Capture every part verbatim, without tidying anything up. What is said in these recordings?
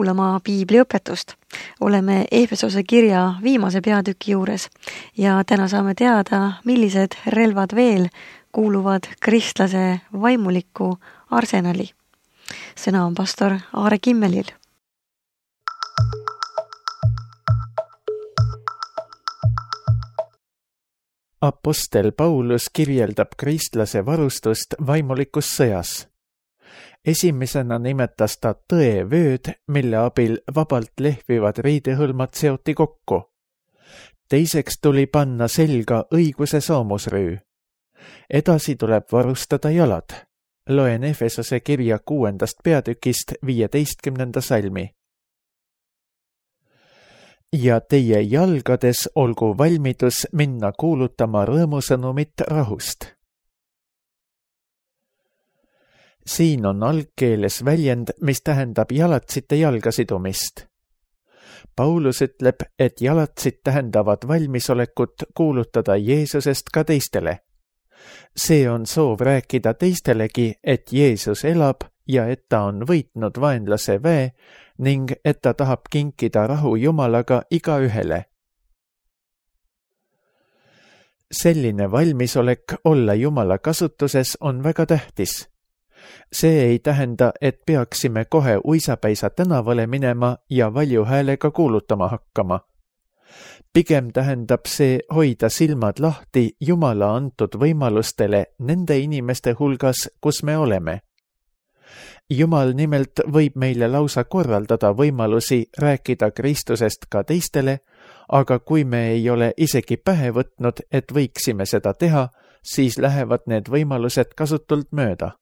kuulama piibliõpetust. Oleme Efesose kirja viimase peatüki juures ja täna saame teada, millised relvad veel kuuluvad kristlase vaimuliku arsenali. Sõna on pastor Aare Kimmelil. Apostel Paulus kirjeldab kristlase varustust vaimulikus sõjas. Esimesena nimetas ta tõevööd, mille abil vabalt lehvivad riidehõlmad seoti kokku. Teiseks tuli panna selga õiguse soomusrüü. Edasi tuleb varustada jalad. Loen Efesose kirja kuuendast peatükist viieteistkümnenda salmi. Ja teie jalgades olgu valmidus minna kuulutama rõõmusõnumit rahust. Siin on algkeeles väljend, mis tähendab jalatsite jalgasidumist. Paulus ütleb, et jalatsid tähendavad valmisolekut kuulutada Jeesusest ka teistele. See on soov rääkida teistelegi, et Jeesus elab ja et ta on võitnud vaenlase väe ning et ta tahab kinkida rahu Jumalaga igaühele. Selline valmisolek olla Jumala kasutuses on väga tähtis. See ei tähenda, et peaksime kohe uisapäisa tänavale minema ja valju häälega kuulutama hakkama. Pigem tähendab see hoida silmad lahti Jumala antud võimalustele nende inimeste hulgas, kus me oleme. Jumal nimelt võib meile lausa korraldada võimalusi rääkida Kristusest ka teistele, aga kui me ei ole isegi pähe võtnud, et võiksime seda teha, siis lähevad need võimalused kasutult mööda.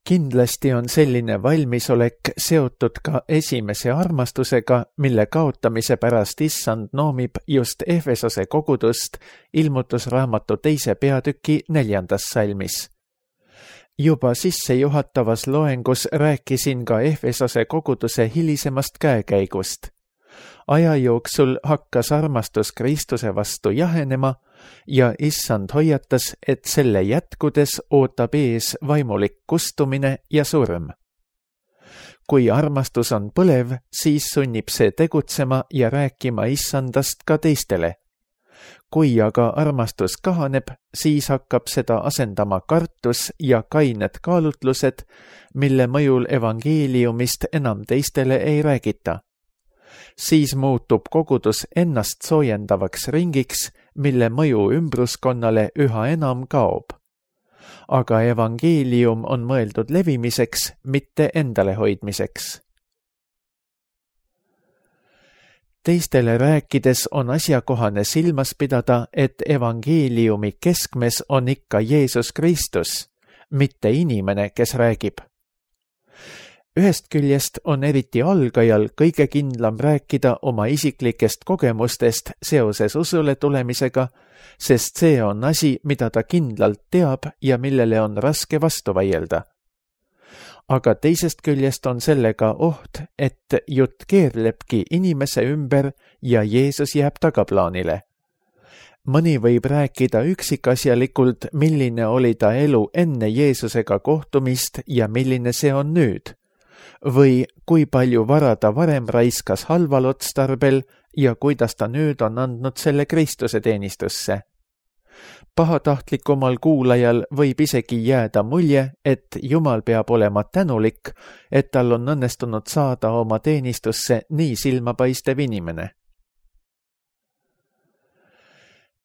Kindlasti on selline valmisolek seotud ka esimese armastusega, mille kaotamise pärast Issand noomib just Efesose kogudust ilmutusraamatu teise peatüki neljandas salmis. Juba sissejuhatavas loengus rääkisin ka Efesose koguduse hilisemast käekäigust. Aja jooksul hakkas armastus Kristuse vastu jahenema ja Issand hoiatas, et selle jätkudes ootab ees vaimulik kustumine ja surm. Kui armastus on põlev, siis sunnib see tegutsema ja rääkima Issandast ka teistele. Kui aga armastus kahaneb, siis hakkab seda asendama kartus ja kained kaalutlused, mille mõjul evangeeliumist enam teistele ei räägita. Siis muutub kogudus ennast soojendavaks ringiks, mille mõju ümbruskonnale üha enam kaob. Aga evangeelium on mõeldud levimiseks, mitte endale hoidmiseks. Teistele rääkides on asjakohane silmas pidada, et evangeeliumi keskmes on ikka Jeesus Kristus, mitte inimene, kes räägib. Ühest küljest on eriti algajal kõige kindlam rääkida oma isiklikest kogemustest seoses usule tulemisega, sest see on asi, mida ta kindlalt teab ja millele on raske vastu vaielda. Aga teisest küljest on sellega oht, et jutt keerlebki inimese ümber ja Jeesus jääb tagaplaanile. Mõni võib rääkida üksikasjalikult, milline oli ta elu enne Jeesusega kohtumist ja milline see on nüüd. Või kui palju vara ta varem raiskas halval otstarbel ja kuidas ta nüüd on andnud selle Kristuse teenistusse. Pahatahtlikumal kuulajal võib isegi jääda mulje, et Jumal peab olema tänulik, et tal on õnnestunud saada oma teenistusse nii silmapaistev inimene.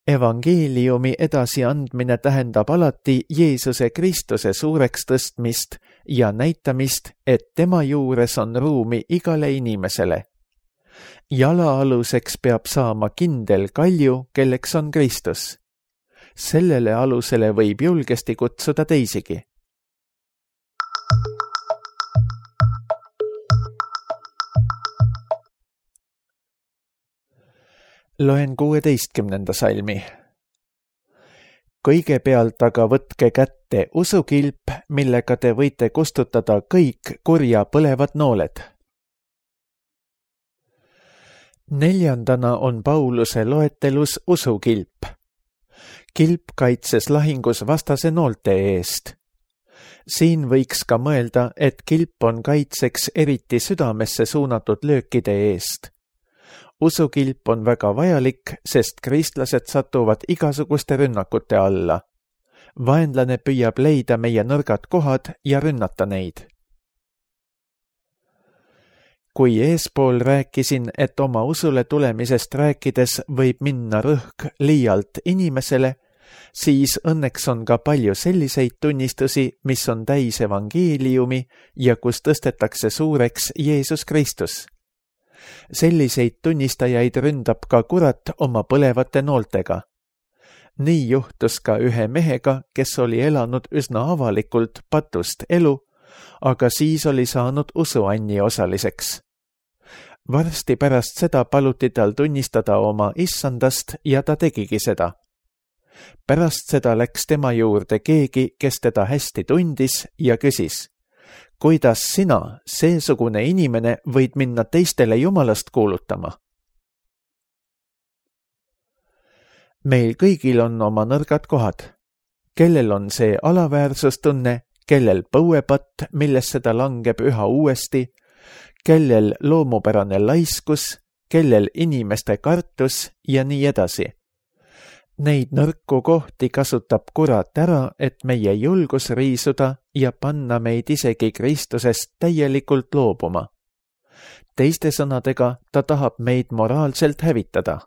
Evangeeliumi edasiandmine tähendab alati Jeesuse Kristuse suureks tõstmist ja näitamist, et tema juures on ruumi igale inimesele. Jalaaluseks peab saama kindel kalju, kelleks on Kristus. Sellele alusele võib julgesti kutsuda teisigi. Loen kuueteistkümnenda salmi. Kõigepealt aga võtke kätte usukilp, millega te võite kustutada kõik kurja põlevad nooled. Neljandana on Pauluse loetelus usukilp. Kilp kaitses lahingus vastase noolte eest. siin võiks ka mõelda, et kilp on kaitseks eriti südamesse suunatud löökide eest. Usukilp on väga vajalik, sest kristlased satuvad igasuguste rünnakute alla. Vaenlane püüab leida meie nõrgad kohad ja rünnata neid. Kui eespool rääkisin, et oma usule tulemisest rääkides võib minna rõhk liialt inimesele, siis õnneks on ka palju selliseid tunnistusi, mis on täis evangeeliumi ja kus tõstetakse suureks Jeesus Kristus. Selliseid tunnistajaid ründab ka kurat oma põlevate nooltega. Nii juhtus ka ühe mehega, kes oli elanud üsna avalikult patust elu, aga siis oli saanud usuanni osaliseks. Varsti pärast seda paluti tal tunnistada oma issandast ja ta tegigi seda. Pärast seda läks tema juurde keegi, kes teda hästi tundis ja küsis, kuidas sina, seesugune inimene, võid minna teistele jumalast kuulutama? Meil kõigil on oma nõrgad kohad. Kellel on see alaväärsustunne, kellel põuepatt, millesse ta langeb üha uuesti, kellel loomupärane laiskus, kellel inimeste kartus ja nii edasi. Neid nõrku kohti kasutab kurat ära, et meie julgus riisuda ja panna meid isegi Kristusest täielikult loobuma. Teiste sõnadega, ta tahab meid moraalselt hävitada.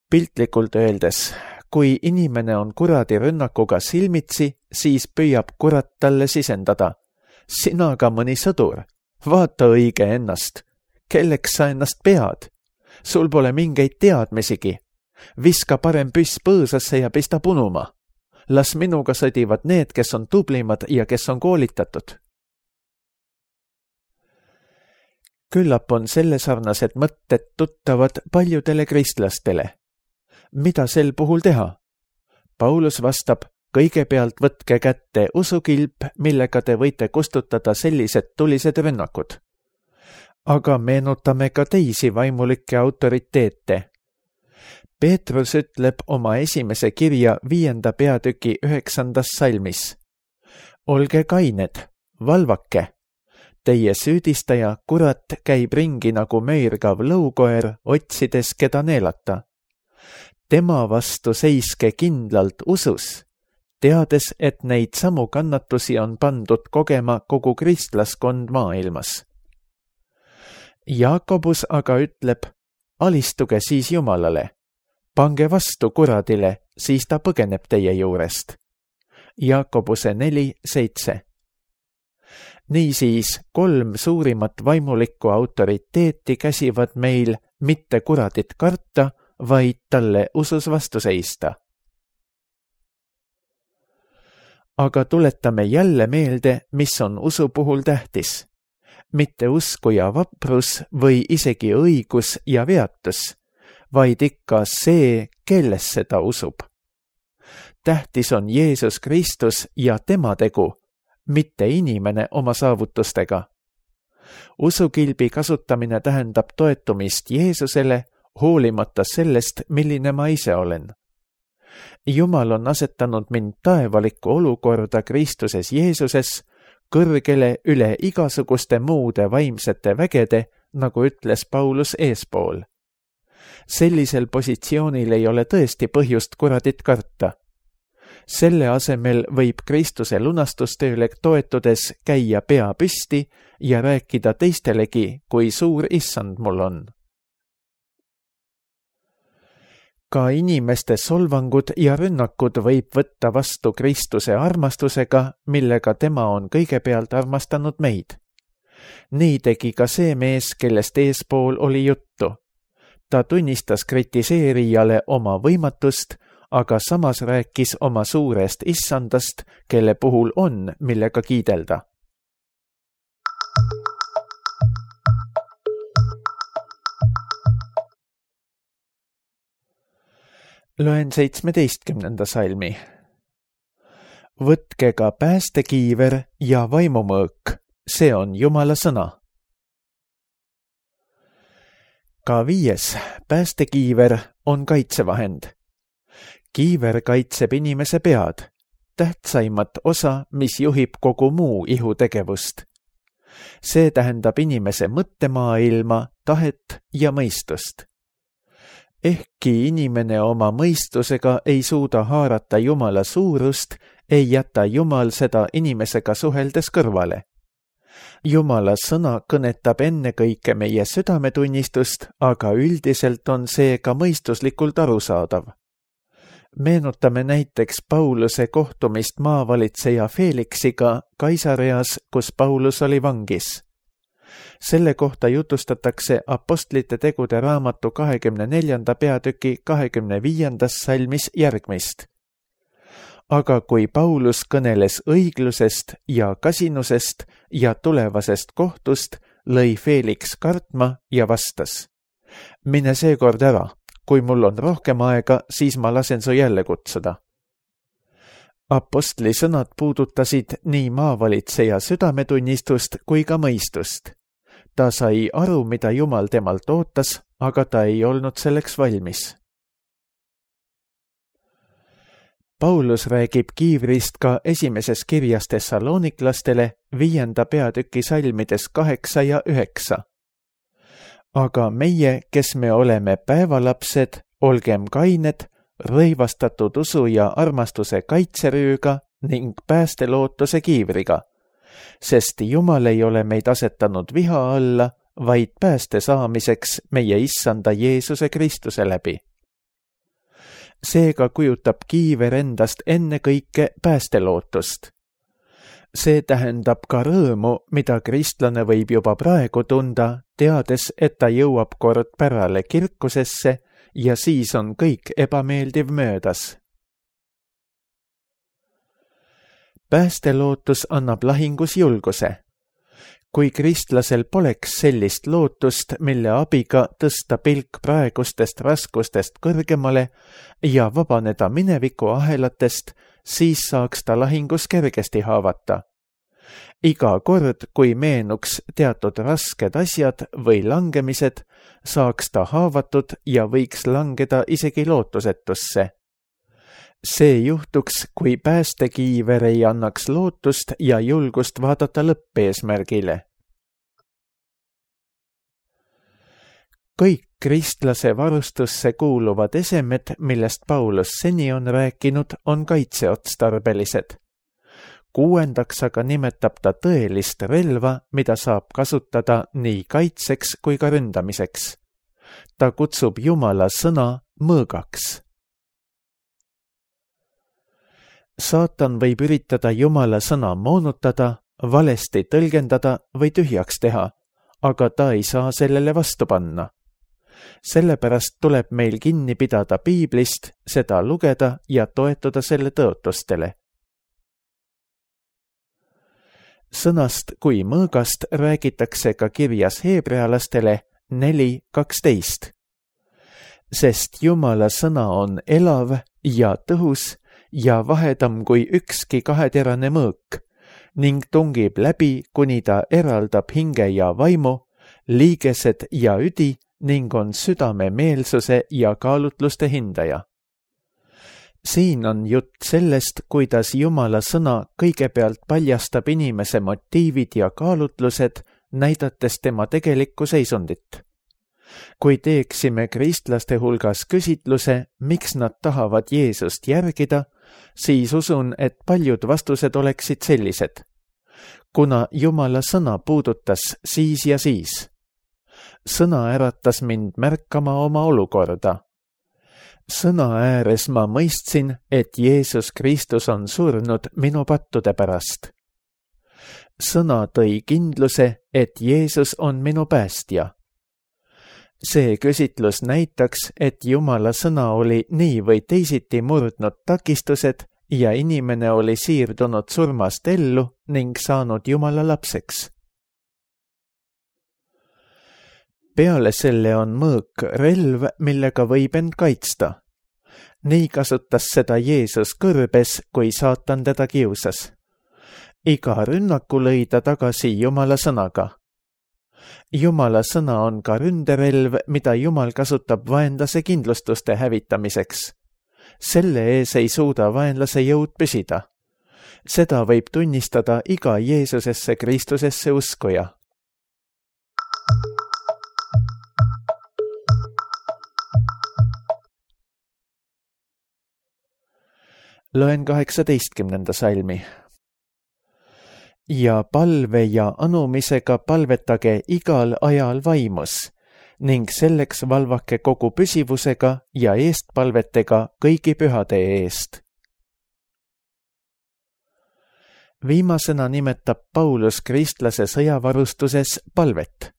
Piltlikult öeldes, kui inimene on kuradi rünnakuga silmitsi, siis püüab kurat talle sisendada. Sina ka mõni sõdur, vaata õige ennast. Kelleks sa ennast pead? Sul pole mingeid teadmisigi. Viska parem püss põõsasse ja pista punuma. Las minuga sõdivad need, kes on tublimad ja kes on koolitatud. Küllap on sellesarnased mõtted tuttavad paljudele kristlastele. Mida sel puhul teha? Paulus vastab, kõigepealt võtke kätte usukilp, millega te võite kustutada sellised tulised rünnakud. Aga meenutame ka teisi vaimulikke autoriteete. Peetrus ütleb oma esimese kirja viienda peatüki üheksandas salmis. Olge kained, valvake. Teie süüdistaja kurat käib ringi nagu möirgav lõukoer, otsides keda neelata. Tema vastu seiske kindlalt usus, teades, et neid samu kannatusi on pandud kogema kogu kristlaskond maailmas. Jaakobus aga ütleb, alistuge siis Jumalale, pange vastu kuradile, siis ta põgeneb teie juurest. Jaakobuse neli seitse. Niisiis kolm suurimat vaimulikku autoriteeti käsivad meil mitte kuradit karta, vaid talle usus vastu seista. Aga tuletame jälle meelde, mis on usu puhul tähtis. Mitte usku ja vaprus või isegi õigus ja veatus, vaid ikka see, kellesse ta usub. Tähtis on Jeesus Kristus ja tema tegu, mitte inimene oma saavutustega. Usukilbi kasutamine tähendab toetumist Jeesusele, hoolimata sellest, milline ma ise olen. Jumal on asetanud mind taevalikku olukorda Kristuses Jeesuses, kõrgele üle igasuguste muude vaimsete vägede, nagu ütles Paulus eespool. Sellisel positsioonil ei ole tõesti põhjust kuradit karta. Selle asemel võib Kristuse lunastustööle toetudes käia pea püsti ja rääkida teistelegi, kui suur issand mul on. Ka inimeste solvangud ja rünnakud võib võtta vastu Kristuse armastusega, millega tema on kõigepealt armastanud meid. Nii tegi ka see mees, kellest eespool oli juttu. Ta tunnistas kritiseerijale oma võimatust, aga samas rääkis oma suurest issandast, kelle puhul on, millega kiidelda. Loen seitsmeteistkümnenda salmi. Võtke ka päästekiiver ja vaimumõõk, see on Jumala sõna. Ka viies, päästekiiver on kaitsevahend. Kiiver kaitseb inimese pead. tähtsaimat osa, mis juhib kogu muu ihutegevust. See tähendab inimese mõttemaailma, tahet ja mõistust. Ehkki inimene oma mõistusega ei suuda haarata Jumala suurust, ei jäta Jumal seda inimesega suheldes kõrvale. Jumala sõna kõnetab ennekõike meie südametunnistust, aga üldiselt on see ka mõistuslikult arusaadav. Meenutame näiteks Pauluse kohtumist maavalitseja Felixiga Kaisareas, kus Paulus oli vangis. Selle kohta jutustatakse Apostlite tegude raamatu kahekümne neljanda peatüki kahekümne viiendas salmis järgmist. Aga kui Paulus kõneles õiglusest ja kasinusest ja tulevasest kohtust, lõi Felix kartma ja vastas: mine seekord ära, kui mul on rohkem aega, siis ma lasen su jälle kutsuda. Apostli sõnad puudutasid nii maavalitseja südametunnistust kui ka mõistust. Ta sai aru, mida Jumal temalt ootas, aga ta ei olnud selleks valmis. Paulus räägib kiivrist ka esimeses kirjas Thessaloniklastele viienda peatüki salmides kaheksa ja üheksa. Aga meie, kes me oleme päevalapsed, olgem kained, rõivastatud usu ja armastuse kaitserüüga ning päästelootuse kiivriga, sest Jumal ei ole meid asetanud viha alla, vaid pääste saamiseks meie issanda Jeesuse Kristuse läbi. Seega kujutab kiiver endast ennekõike päästelootust. See tähendab ka rõõmu, mida kristlane võib juba praegu tunda, teades, et ta jõuab kord pärale kirkusesse ja siis on kõik ebameeldiv möödas. Päästelootus annab lahingus julguse. Kui kristlasel poleks sellist lootust, mille abiga tõsta pilk praegustest raskustest kõrgemale ja vabaneda mineviku ahelatest, siis saaks ta lahingus kergesti haavata. Iga kord, kui meenuks teatud rasked asjad või langemised, saaks ta haavatud ja võiks langeda isegi lootusetusse. See juhtuks, kui päästekiiver ei annaks lootust ja julgust vaadata lõppeesmärgile. Kõik kristlase varustusse kuuluvad esemed, millest Paulus seni on rääkinud, on kaitseotstarbelised. Kuuendaks aga nimetab ta tõelist relva, mida saab kasutada nii kaitseks kui ka ründamiseks. Ta kutsub Jumala sõna mõõgaks. Saatan võib üritada Jumala sõna moonutada, valesti tõlgendada või tühjaks teha, aga ta ei saa sellele vastu panna. Sellepärast tuleb meil kinni pidada piiblist, seda lugeda ja toetuda selle tõotustele. Sõnast kui mõõgast räägitakse ka kirjas heebrealastele neli kaksteist. Sest Jumala sõna on elav ja tõhus ja vahedam kui ükski kaheterane mõõk ning tungib läbi, kuni ta eraldab hinge ja vaimu, liigesed ja üdi ning on südame meelsuse ja kaalutluste hindaja. Siin on jutt sellest, kuidas Jumala sõna kõigepealt paljastab inimese motiivid ja kaalutlused, näidates tema tegelikku seisundit. Kui teeksime kristlaste hulgas küsitluse, miks nad tahavad Jeesust järgida, siis usun, et paljud vastused oleksid sellised. Kuna Jumala sõna puudutas siis ja siis. Sõna äratas mind märkama oma olukorda. Sõna ääres ma mõistsin, et Jeesus Kristus on surnud minu pattude pärast. Sõna tõi kindluse, et Jeesus on minu päästja. See küsitlus näitaks, et Jumala sõna oli nii või teisiti murdnud takistused ja inimene oli siirdunud surmast ellu ning saanud Jumala lapseks. Peale selle on mõõk relv, millega võib end kaitsta. Nii kasutas seda Jeesus kõrbes, kui saatan teda kiusas. Iga rünnaku lõi ta tagasi Jumala sõnaga. Jumala sõna on ka ründerelv, mida Jumal kasutab vaenlase kindlustuste hävitamiseks. Selle ees ei suuda vaenlase jõud püsida. Seda võib tunnistada iga Jeesusesse Kristusesse uskuja. Loen kaheksateistkümnenda salmi. Ja palve ja anumisega palvetage igal ajal vaimus ning selleks valvake kogu püsivusega ja eestpalvetega kõigi pühade eest. Viimasena nimetab Paulus kristlase sõjavarustuses palvet.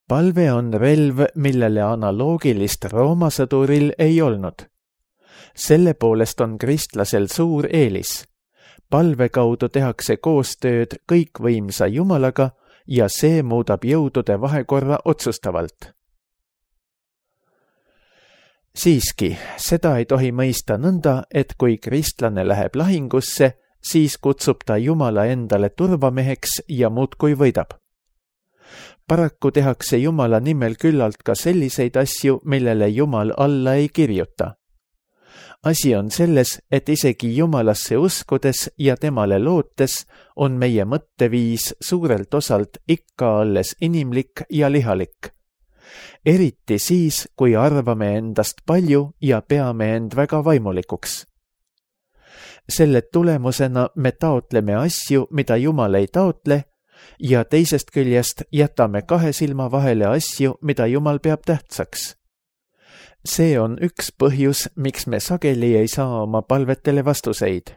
Palve on relv, millele analoogilist Rooma sõduril ei olnud. Selle poolest on kristlasel suur eelis. Palve kaudu tehakse koostööd kõikvõimsa Jumalaga ja see muudab jõudude vahekorra otsustavalt. Siiski, seda ei tohi mõista nõnda, et kui kristlane läheb lahingusse, siis kutsub ta Jumala endale turvameheks ja muudkui võidab. Paraku tehakse Jumala nimel küllalt ka selliseid asju, millele Jumal alla ei kirjuta. Asi on selles, et isegi Jumalasse uskudes ja temale lootes on meie mõtteviis suurelt osalt ikka alles inimlik ja lihalik. Eriti siis, kui arvame endast palju ja peame end väga vaimulikuks. Selle tulemusena me taotleme asju, mida Jumal ei taotle, ja teisest küljest jätame kahe silma vahele asju, mida Jumal peab tähtsaks. See on üks põhjus, miks me sageli ei saa oma palvetele vastuseid.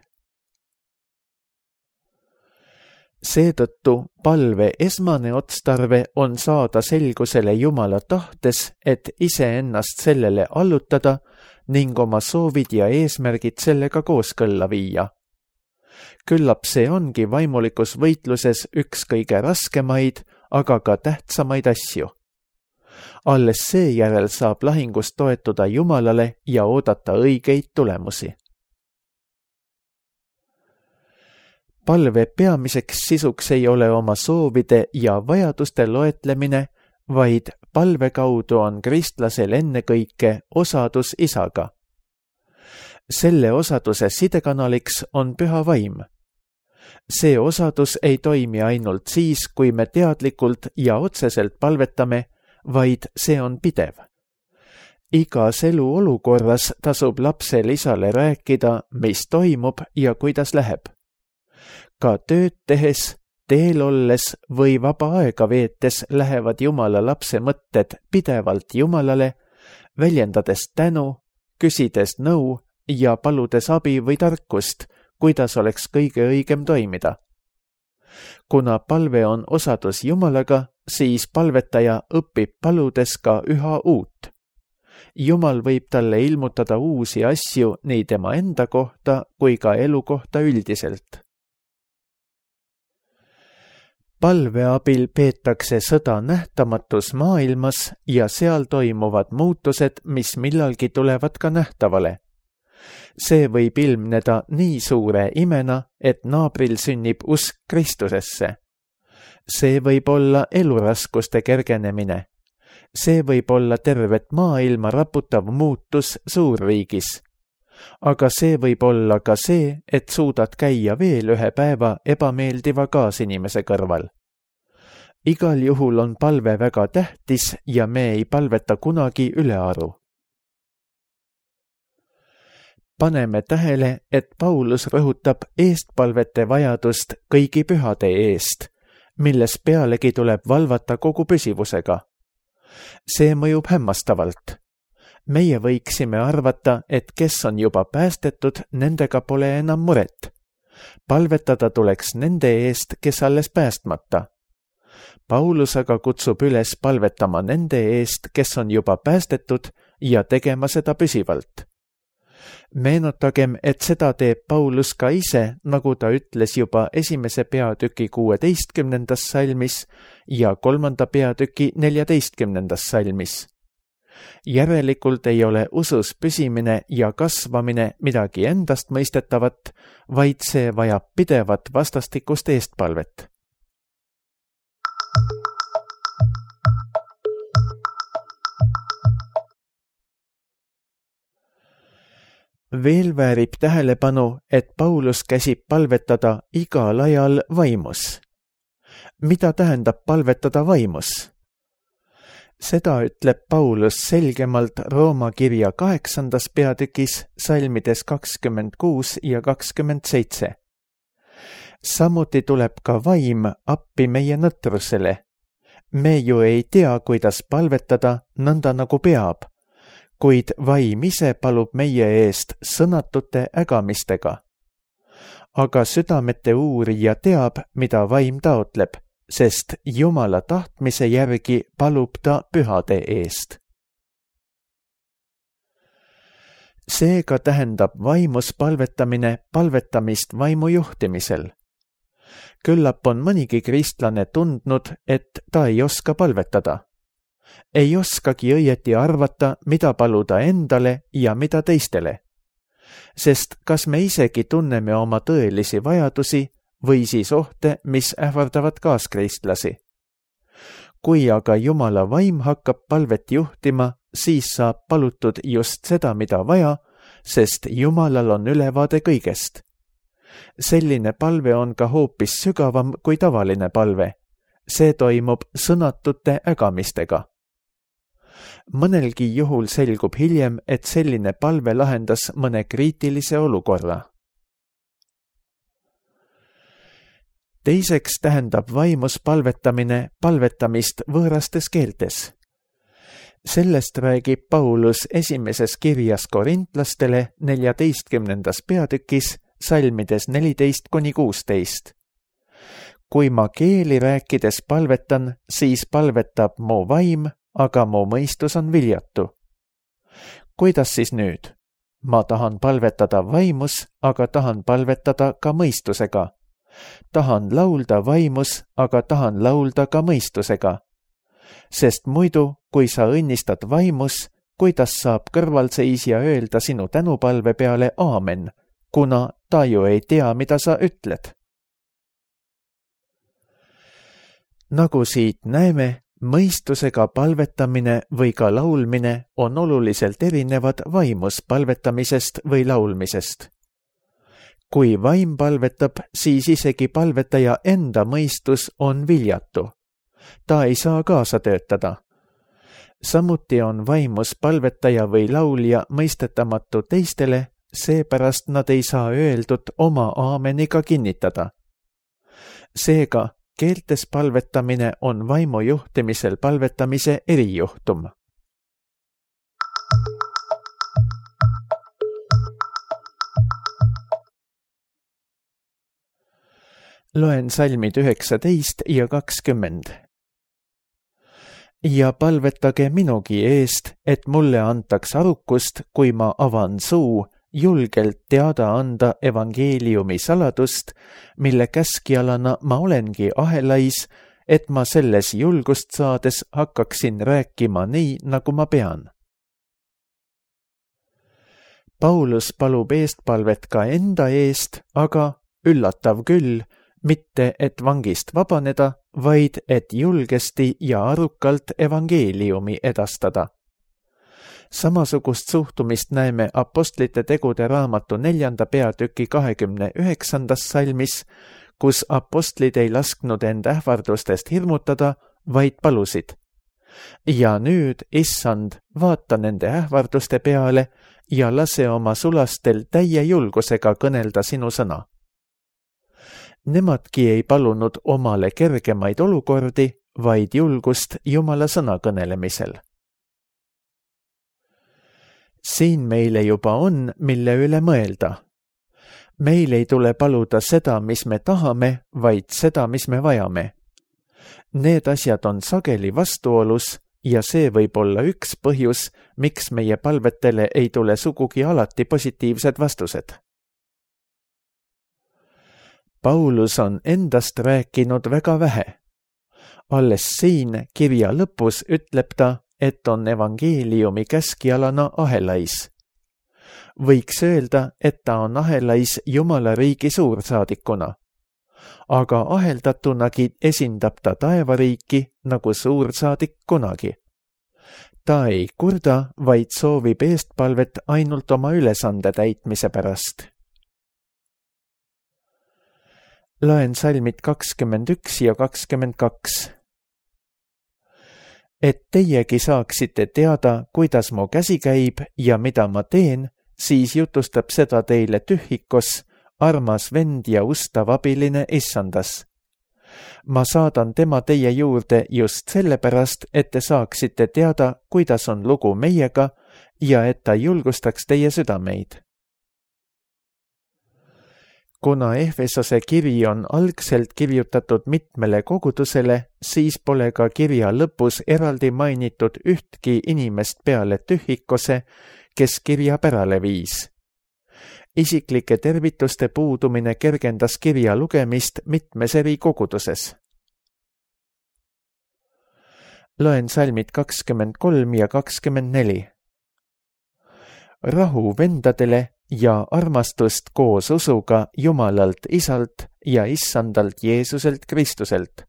Seetõttu palve esmane otstarve on saada selgusele Jumala tahtes, et iseennast sellele allutada ning oma soovid ja eesmärgid sellega kooskõlla viia. Küllap see ongi vaimulikus võitluses üks kõige raskemaid, aga ka tähtsamaid asju. Alles seejärel saab lahingus toetuda Jumalale ja oodata õigeid tulemusi. Palve peamiseks sisuks ei ole oma soovide ja vajaduste loetlemine, vaid palve kaudu on kristlasel ennekõike osadus isaga. Selle osaduse sidekanaliks on püha vaim. See osadus ei toimi ainult siis, kui me teadlikult ja otseselt palvetame, vaid see on pidev. Igas elu olukorras tasub lapsel isale rääkida, mis toimub ja kuidas läheb. Ka tööd tehes, teel olles või vaba aega veetes lähevad Jumala lapse mõtted pidevalt Jumalale, väljendades tänu, küsides nõu ja paludes abi või tarkust, kuidas oleks kõige õigem toimida. Kuna palve on osadus Jumalaga, siis palvetaja õpib paludes ka üha uut. Jumal võib talle ilmutada uusi asju nii tema enda kohta kui ka elu kohta üldiselt. Palve abil peetakse sõda nähtamatus maailmas ja seal toimuvad muutused, mis millalgi tulevad ka nähtavale. See võib ilmneda nii suure imena, et naabril sünnib usk Kristusesse. See võib olla eluraskuste kergenemine. See võib olla tervet maailma raputav muutus suurriigis. Aga see võib olla ka see, et suudad käia veel ühe päeva ebameeldiva kaasinimese kõrval. Igal juhul on palve väga tähtis ja me ei palveta kunagi ülearu. Paneme tähele, et Paulus rõhutab eestpalvete vajadust kõigi pühade eest, milles pealegi tuleb valvata kogu püsivusega. See mõjub hämmastavalt. Meie võiksime arvata, et kes on juba päästetud, nendega pole enam muret. Palvetada tuleks nende eest, kes alles päästmata. Paulus aga kutsub üles palvetama nende eest, kes on juba päästetud ja tegema seda püsivalt. Meenutagem, et seda teeb Paulus ka ise, nagu ta ütles juba esimese peatüki kuueteistkümnendas salmis ja kolmanda peatüki neljateistkümnendas salmis. Järelikult ei ole usus püsimine ja kasvamine midagi endast mõistetavat, vaid see vajab pidevat vastastikust eestpalvet. Veel väärib tähelepanu, et Paulus käsib palvetada igal ajal vaimus. Mida tähendab palvetada vaimus? Seda ütleb Paulus selgemalt Rooma kirja kaheksandas peatükis salmides kakskümmend kuus ja kakskümmend seitse. Samuti tuleb ka vaim appi meie nõtrusele. Me ju ei tea, kuidas palvetada nõnda nagu peab, kuid vaim ise palub meie eest sõnatute ägamistega. Aga südamete uurija teab, mida vaim taotleb, sest Jumala tahtmise järgi palub ta pühade eest. Seega tähendab vaimus palvetamine palvetamist vaimu juhtimisel. Küllap on mõnigi kristlane tundnud, et ta ei oska palvetada. Ei oskagi õieti arvata, mida paluda endale ja mida teistele. Sest kas me isegi tunneme oma tõelisi vajadusi või siis ohte, mis ähvardavad kaaskristlasi. Kui aga Jumala vaim hakkab palvet juhtima, siis saab palutud just seda, mida vaja, sest Jumalal on ülevaade kõigest. Selline palve on ka hoopis sügavam kui tavaline palve. See toimub sõnatute ägamistega. Mõnelgi juhul selgub hiljem, et selline palve lahendas mõne kriitilise olukorra. Teiseks tähendab vaimus palvetamine palvetamist võõrastes keeltes. Sellest räägib Paulus esimeses kirjas korintlastele neljateistkümnendas peatükis salmides neliteist kuni kuusteist. Kui ma keeli rääkides palvetan, siis palvetab mu vaim, aga mu mõistus on viljatu. Kuidas siis nüüd? Ma tahan palvetada vaimus, aga tahan palvetada ka mõistusega. Tahan laulda vaimus, aga tahan laulda ka mõistusega. Sest muidu, kui sa õnnistad vaimus, kuidas saab kõrvalseisja öelda sinu tänupalve peale aamen, kuna ta ju ei tea, mida sa ütled. Nagu siit näeme, mõistusega palvetamine või ka laulmine on oluliselt erinevad vaimus palvetamisest või laulmisest. Kui vaim palvetab, siis isegi palvetaja enda mõistus on viljatu. Ta ei saa kaasa töötada. Samuti on vaimus palvetaja või laulja mõistetamatu teistele, seepärast nad ei saa öeldud oma aameniga kinnitada. Seega, keeltes palvetamine on vaimu juhtimisel palvetamise erijuhtum. Loen salmid üheksateist ja kakskümmend. Ja palvetage minugi eest, et mulle antaks arukust, kui ma avan suu, julgelt teada anda evangeeliumi saladust, mille käskjalana ma olengi ahelais, et ma selles julgust saades hakkaksin rääkima nii, nagu ma pean. Paulus palub eestpalvet ka enda eest, aga üllatav küll, mitte et vangist vabaneda, vaid et julgesti ja arukalt evangeeliumi edastada. Samasugust suhtumist näeme apostlite tegude raamatu neljanda peatüki kahekümne üheksandas salmis, kus apostlid ei lasknud end ähvardustest hirmutada, vaid palusid. Ja nüüd, issand, vaata nende ähvarduste peale ja lase oma sulastel täie julgusega kõnelda sinu sõna. Nemadki ei palunud omale kergemaid olukordi, vaid julgust Jumala sõna kõnelemisel. Siin meile juba on, mille üle mõelda. Meil ei tule paluda seda, mis me tahame, vaid seda, mis me vajame. Need asjad on sageli vastuolus ja see võib olla üks põhjus, miks meie palvetele ei tule sugugi alati positiivsed vastused. Paulus on endast rääkinud väga vähe. Alles siin kirja lõpus ütleb ta, et on evangeeliumi käskjalana ahelais. Võiks öelda, et ta on ahelais Jumala riigi suursaadikuna. Aga aheldatunagi esindab ta taevariiki nagu suursaadik kunagi. ta ei kurda, vaid soovib eestpalvet ainult oma ülesande täitmise pärast. Loen salmid kakskümmend üks ja kakskümmend kaks. Et teiegi saaksite teada, kuidas mu käsi käib ja mida ma teen, siis jutustab seda teile Tühhikos, armas vend ja ustav abiline issandas. Ma saadan tema teie juurde just sellepärast, et te saaksite teada, kuidas on lugu meiega ja et ta julgustaks teie südameid. Kuna Efesose kiri on algselt kirjutatud mitmele kogudusele, siis pole ka kirja lõpus eraldi mainitud ühtki inimest peale Tühhikose, kes kirja pärale viis. Isiklike tervituste puudumine kergendas kirja lugemist mitmes eri koguduses. Loen salmid kakskümmend kolm ja kakskümmend neli. Rahu vendadele ja armastust koos usuga Jumalalt Isalt ja Issandalt Jeesuselt Kristuselt.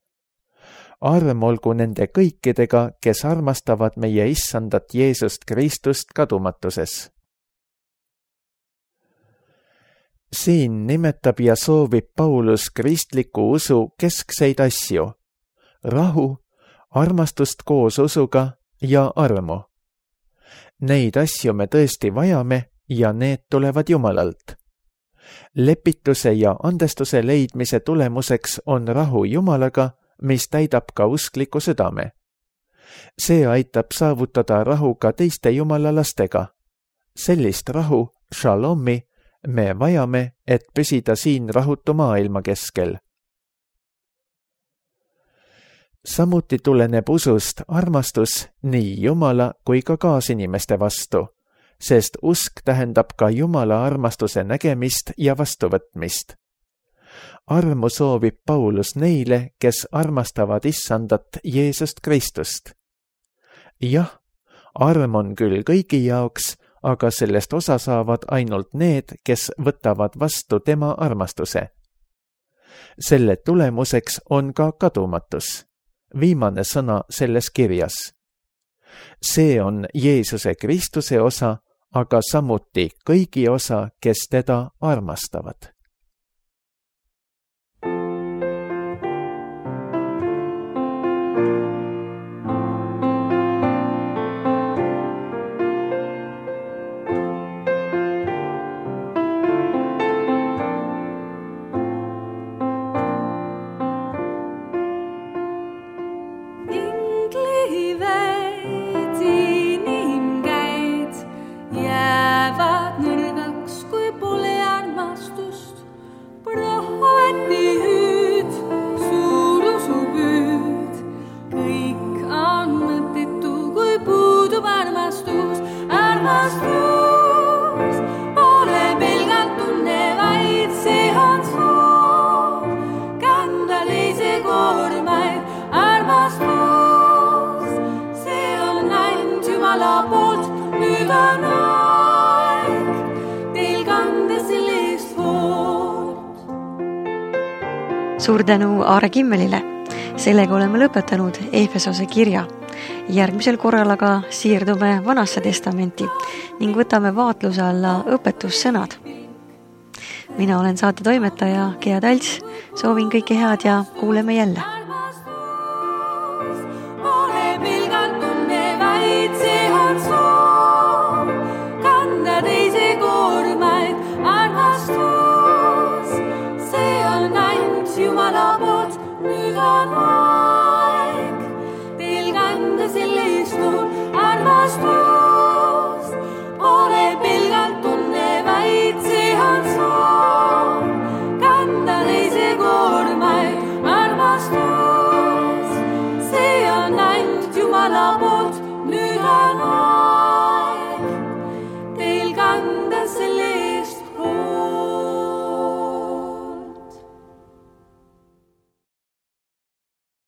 Arm olgu nende kõikidega, kes armastavad meie Issandat Jeesust Kristust kadumatuses. Siin nimetab ja soovib Paulus kristliku usu keskseid asju, rahu, armastust koos usuga ja armu. Neid asju me tõesti vajame ja need tulevad Jumalalt. Lepituse ja andestuse leidmise tulemuseks on rahu Jumalaga, mis täidab ka uskliku südame. See aitab saavutada rahu ka teiste Jumala lastega. Sellist rahu, šalomi, me vajame, et püsida siin rahutu maailma keskel. Samuti tuleneb usust armastus nii Jumala kui ka kaasinimeste vastu, sest usk tähendab ka Jumala armastuse nägemist ja vastuvõtmist. Armu soovib Paulus neile, kes armastavad Issandat Jeesust Kristust. Jah, arm on küll kõigi jaoks, aga sellest osa saavad ainult need, kes võtavad vastu tema armastuse. Selle tulemuseks on ka kadumatus, viimane sõna selles kirjas. See on Jeesuse Kristuse osa, aga samuti kõigi osa, kes teda armastavad. Suur tänu Aare Kimmelile. Sellega oleme lõpetanud Efesose kirja. Järgmisel korral aga siirdume Vanasse testamenti ning võtame vaatluse alla õpetussõnad. Mina olen saate toimetaja Gea Talts. Soovin kõike head ja kuuleme jälle. Jumala poolt nüüd on